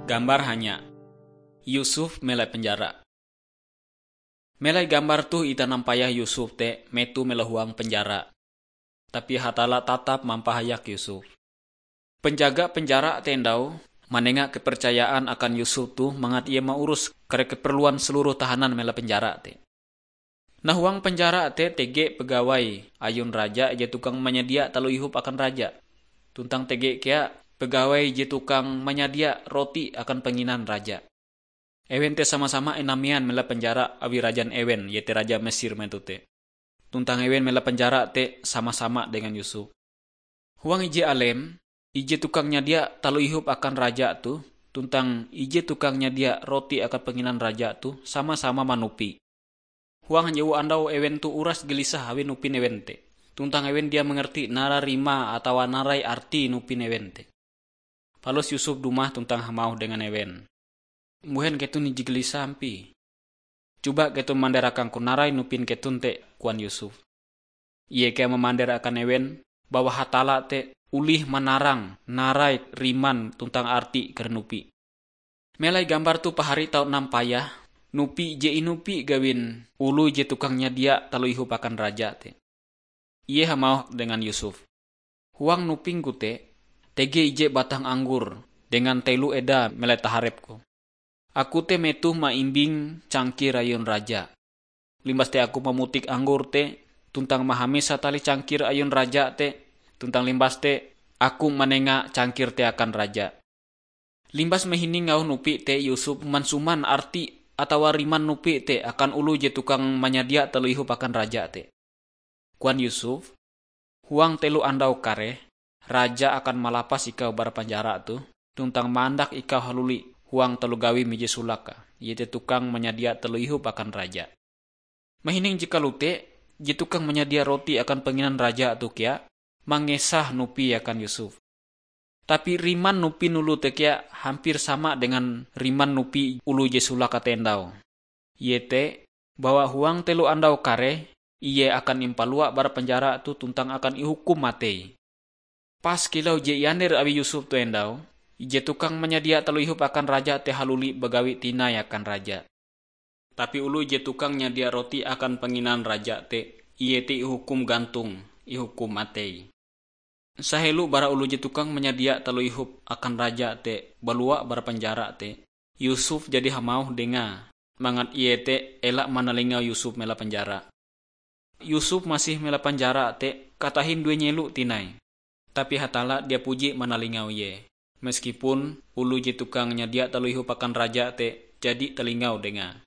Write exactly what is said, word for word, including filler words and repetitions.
Gambar hanya. Yusuf melai penjara. Melai gambar toh, itah nampayah Yusuf te metoh melahuang penjara. Tapi Hatalla tatap mampahayak Yusuf. Penjaga penjara te ndau manenga kepercayaan akan Yusuf toh mangat ie maurus kare keperluan seluruh tahanan melai penjara te. Nah, huang penjara te tege pegawai ayun raja ije tukang manyadia taloh ihup akan raja. Tuntang tege kea pegawai ije tukang manyadia roti akan panginan raja. Ewen te sama-sama inamean melai penjara awi rajan ewen, iete raja Mesir metoh te. Tuntang ewen melai penjara te sama-sama dengan Yusuf. Huang ije alem, ije tukang nyadia taloh ihup akan raja toh, tuntang ije tukang nyadia roti akan panginan raja toh sama-sama manupi. Huang hanjewu andau ewen toh uras gelisah awi nupin ewen te. Tuntang ewen dia mangarti narai rimae atawa narai arti nupin ewen te. Palus Yusuf dumah tuntang hamauh dengan ewen, "Mbuhen keton ije gelisah ampie? Coba keton mander akangku narai nupin keton te," koan Yusuf. Ie kea mamander akan ewen bahwa Hatalla te olih manarang narai riman tuntang arti kare nupi. Melai gambar toh pahari tau nampayah nupi je inupi gawin oloh je tukang nyadia taloh ihup akan raja te. Ie hamauh dengan Yusuf, "Huang nupingku te, tege ije batang anggor dengan telo edae melai taharepku. Aku te metoh maimbing cangkir ayun raja. Limbas te aku mamutik anggor te, tuntang mahamisa tali cangkir ayun raja te, tuntang limbas te aku manenga cangkir te akan raja." Limbas mahining auh nupi te, Yusuf mansuman arti atawa riman nupi te akan oloh je tukang manyadia taloh ihup akan raja te. Koan Yusuf, "Huang telo andau kareh, raja akan malapas ikau bara penjara toh, tuntang mandak ikau haluli huang taloh gawim ije solake, iete tukang manyadia taloh ihup akan raja." Mahining je kalote, je tukang manyadia roti akan panginan raja toh kea mangesah nupi akan Yusuf. Tapi riman nupi oloh te kea hampir sama dengan riman nupi oloh je solake te ndau. Iete bahwa huang telo andau kareh, ie akan impalua bara penjara toh tuntang akan ihukum matei. Pas kilau je iander awi Yusuf te ndau, ije tukang manyadia taloh ihup akan raja te haluli bagawi tinai akan raja. Tapi oloh je tukang nyadia roti akan panginan raja te, ie te ihukum gantong, ihukum matei. Sahelo bara oloh je tukang manyadia taloh ihup akan raja te balua bara penjara te, Yusuf jadi hamauh dengae, mangat ie te ela manalingau Yusuf melai penjara. Yusuf masih melai penjara te katahin due nyelo tinai. Tapi Hatalla dia puji manalingau ie, meskipun oloh je tukang nyadia taloh ihup akan raja te jadi talingau dengae.